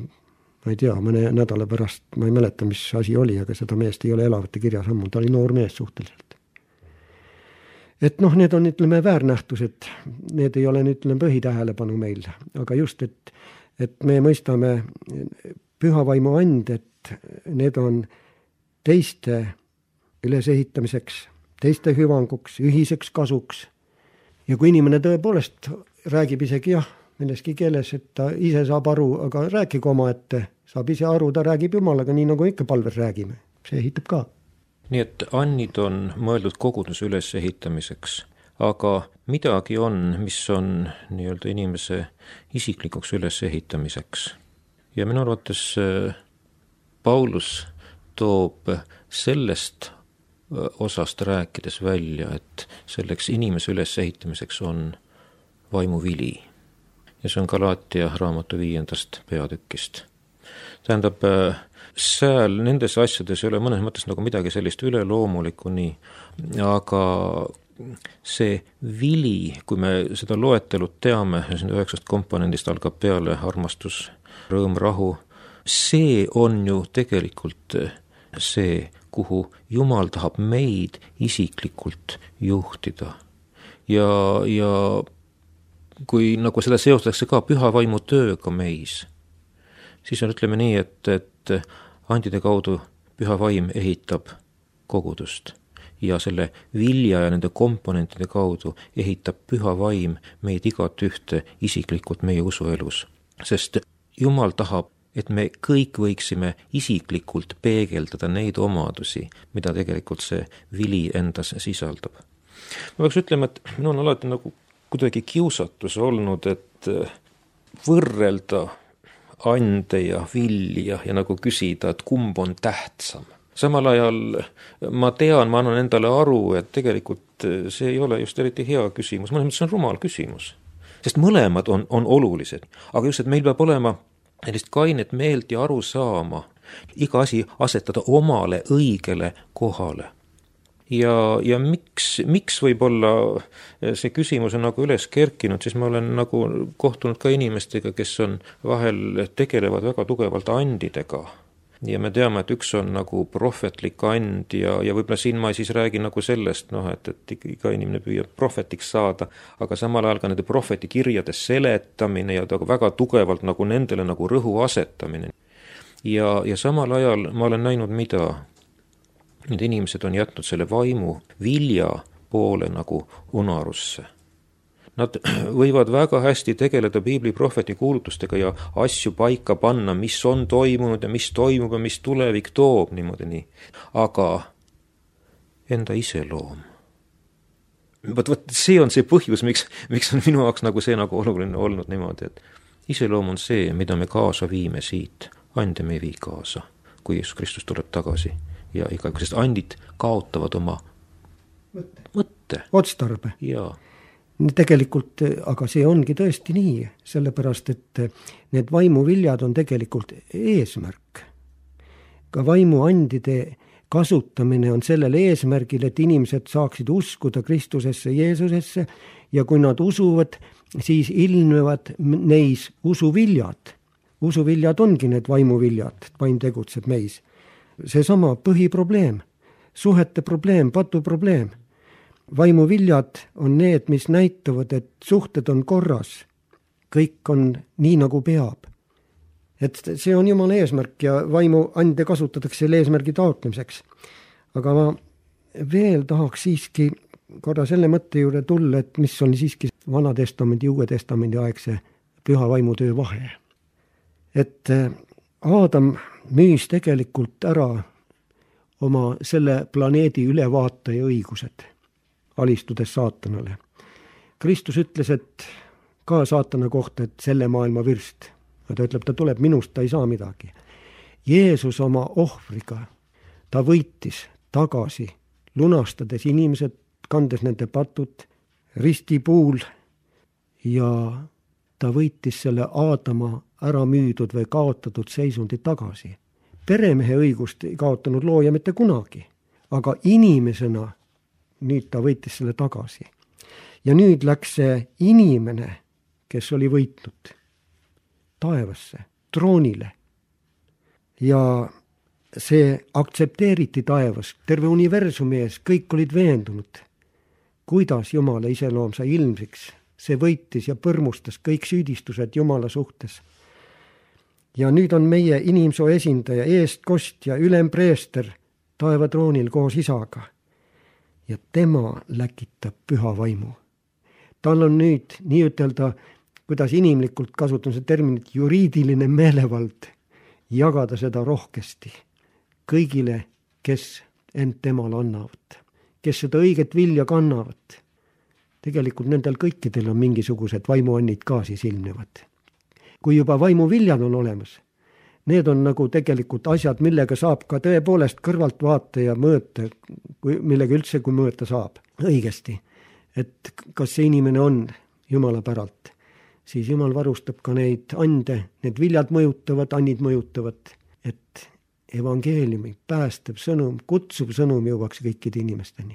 ma ei tea, mõne nädala pärast, ma ei mäleta, mis asi oli, aga seda meest ei ole elavate kirjas ammu, ta oli noor mees suhteliselt. Et need on, ütleme, väärnähtused, need ei ole, ütleme, põhitähelepanu meil, aga just, et me mõistame pühavaimu and, et need on teiste ülesehitamiseks, teiste hüvanguks, ühiseks kasuks. Ja kui inimene tõepoolest räägib isegi milleski keeles, et ta ise saab aru, aga rääkige oma ette, saab ise aru, ta räägib Jumalaga, nii nagu ikka palves räägime. See ehitab ka. Nii et annid on mõeldud koguduse üles ehitamiseks, aga midagi on, mis on nii-öelda inimese isiklikuks üles ehitamiseks. Ja minu arvates Paulus toob sellest osast rääkides välja, et selleks inimese üles ehitamiseks on vaimuvili. Ja see on Galaatia raamatu 5. peatükist. Tähendab, seal nendes asjades ei ole mõnes mõttes nagu midagi sellist üleloomulikku nii, aga see vili, kui me seda loetelut teame, 9 komponendist algab peale armastus, rõõm, rahu, see on ju tegelikult see, kuhu Jumal tahab meid isiklikult juhtida. Ja kui nagu seda seostatakse ka püha vaimu tööga meis, siis on, ütleme nii, et andide kaudu püha vaim ehitab kogudust ja selle vilja ja nende komponentide kaudu ehitab püha vaim meid igat ühte isiklikult meie usuelus. Sest Jumal tahab, et me kõik võiksime isiklikult peegeldada neid omadusi, mida tegelikult see vili endas sisaldab. Ma peaks ütlema, et minu on alati nagu kuidagi kiusatus olnud, et võrrelda ande ja vilja ja nagu küsida, et kumb on tähtsam. samal ajal ma tean, ma annan endale aru, et tegelikult see ei ole just eriti hea küsimus, mõnes mõttes on rumal küsimus. Sest mõlemad on olulised, aga just, et meil peab olema sellist kainet meelt ja aru saama, iga asi asetada omale õigele kohale. Ja miks võib-olla see küsimus on nagu üles kerkinud, siis ma olen nagu kohtunud ka inimestega, kes on vahel tegelevad väga tugevalt andidega. Ja me teame, et üks on nagu prohvetlik and ja võib-olla siin ma siis räägin nagu sellest, et iga inimene püüab prohvetiks saada, aga samal ajal ka nende prohvetikirjade seletamine ja väga tugevalt nagu nendele nagu rõhu asetamine. Ja samal ajal ma olen näinud, mida need inimesed on jätnud selle vaimu vilja poole nagu unarusse. Nad võivad väga hästi tegeleda piibli prohveti kuulutustega ja asju paika panna, mis on toimunud ja mis toimub ja mis tulevik toob niimoodi nii. Aga enda iseloom. Võt, see on see põhjus, miks on minu jaoks nagu see nagu oluline olnud niimoodi, et iseloom on see, mida me kaasa viime siit. Ande me ei vii kaasa, kui Jeesus Kristus tuleb tagasi. Ja sest andid kaotavad oma mõtte. Otstarbe. Jaa. Tegelikult, aga see ongi tõesti nii, sellepärast, et need vaimuviljad on tegelikult eesmärk. Ka vaimuandide kasutamine on sellel eesmärgil, et inimesed saaksid uskuda Kristusesse, Jeesusesse ja kui nad usuvad, siis ilmnevad neis usuviljad. Usuviljad ongi need vaimuviljad, vaim tegutseb meis. Seesama põhiprobleem, suhete probleem, patu probleem. Vaimuviljad on need, mis näitavad, et suhted on korras. Kõik on nii, nagu peab. Et see on Jumala eesmärk ja vaimuande kasutatakse selle eesmärgi taotlemiseks. Aga ma veel tahaks siiski korra selle mõtte juurde tulla, et mis on siiski Vana Testamendi, Uue Testamendi aegse püha vaimutöö vahe. Et Aadam müüs tegelikult ära oma selle planeedi ülevaataja õigused, alistudes saatanale. Kristus ütles, et ka saatana kohta, et selle maailma vürst. Ta ütleb, ta tuleb minust, ta ei saa midagi. Jeesus oma ohvriga, ta võitis tagasi, lunastades inimesed, kandes nende patud ristipuul ja ta võitis selle Aadama ära müüdud või kaotatud seisundi tagasi. Peremehe õigust ei kaotanud looja mitte kunagi, aga inimesena nüüd ta võitis selle tagasi. Ja nüüd läks see inimene, kes oli võitnud taevasse, troonile. Ja see aktsepteeriti taevas, terve universumi ees, kõik olid veendunud, kuidas Jumala iseloom sai ilmsiks. See võitis ja põrmustas kõik süüdistused Jumala suhtes. Ja nüüd on meie inimsoo esindaja, eestkostja, ülempreester taevatroonil koos isaga. Ja tema läkitab püha vaimu. Tal on nüüd nii ütelda, kuidas inimlikult kasutamise terminit, juriidiline meelevald jagada seda rohkesti kõigile, kes end temale annavad, kes seda õiget vilja kannavad. Tegelikult nendel kõikidel on mingisugused vaimuannid ka siis ilmnevad. Kui juba vaimuviljad on olemas, need on nagu tegelikult asjad, millega saab ka tõepoolest kõrvalt vaata ja mõõta, millega üldse kui mõõta saab õigesti. Et kas see inimene on Jumala päralt, siis Jumal varustab ka neid ande, need viljad mõjutavad, annid mõjutavad, et evangeeliumi, päästev sõnum, kutsuv sõnum jõuaks kõikide inimesteni.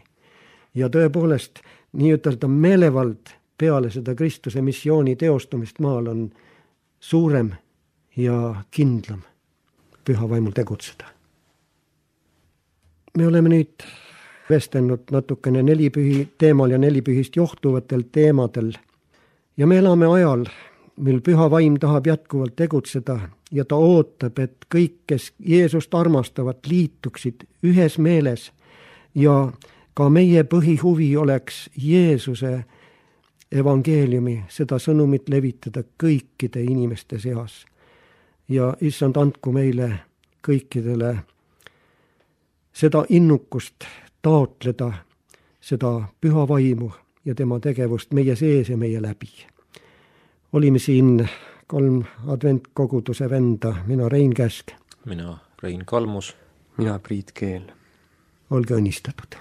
Ja tõepoolest, nii ütelda meelevald peale seda Kristuse missiooni teostumist maal on suurem ja kindlam püha vaimul tegutseda. Me oleme nüüd vestelnud natukene nelipühi teemal ja nelipühist johtuvatel teemadel ja me elame ajal, mil püha vaim tahab jätkuvalt tegutseda ja ta ootab, et kõik, kes Jeesust armastavad, liituksid ühes meeles ja ka meie põhihuvi oleks Jeesuse evangeeliumi, seda sõnumit levitada kõikide inimeste seas. Ja issand, andku meile kõikidele seda innukust taotleda, seda püha vaimu ja tema tegevust meie sees ja meie läbi. Olime siin 3 adventkoguduse venda, mina Rein Käsk. Mina Rein Kalmus. mina, Priit Keel. olge õnnistatud.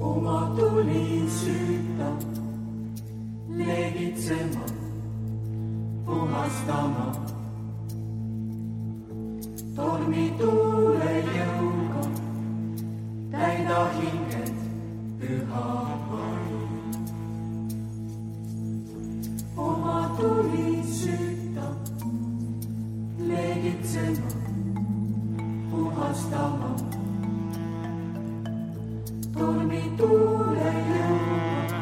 Oma tuli süüta, leegitsema, puhastama. Tormi tuule jõuga, täida hinged püha vaim. Oma tuli süüta, leegitsema, puhastama. Tormi tuule jõuga,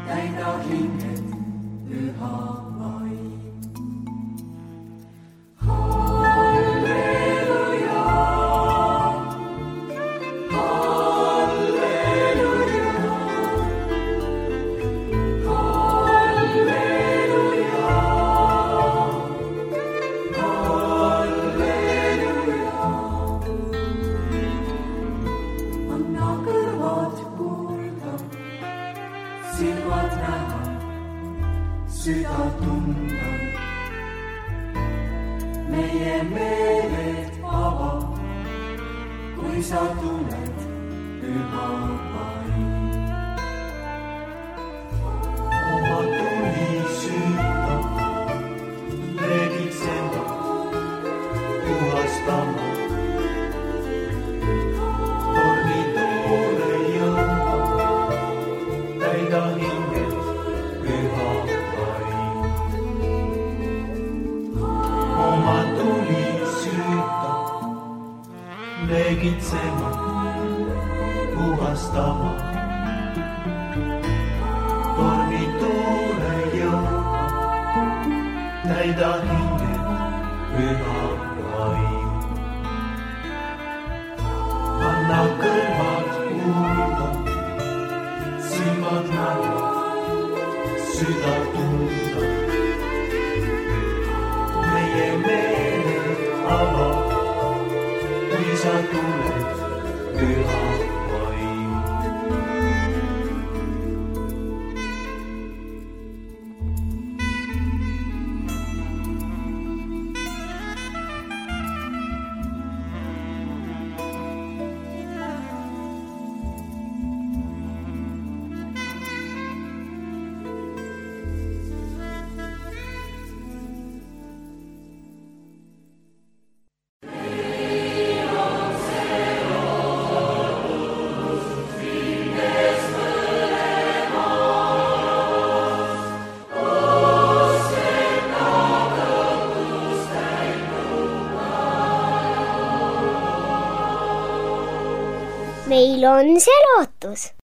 täida hinged püha vaim. Halleluja, halleluja, halleluja, halleluja. Anna kõrvad kuulda, silmad näha, süda tunda. Meie meeled ava, kui sa tuled püha vaim. Oma tuli süüta, leegitsema, puhastama. Tormi tuule jõuga, täida hinged püha vaim. Oma tuli süüta, leegitsema, puhastama. Tormi tuule jõuga, täida hinged püha vaim. Anna kõrvad kuulda, silmad näha, süda tunda. Meie meeled ava, kui sa tuled püha vaim. meil on see lootus.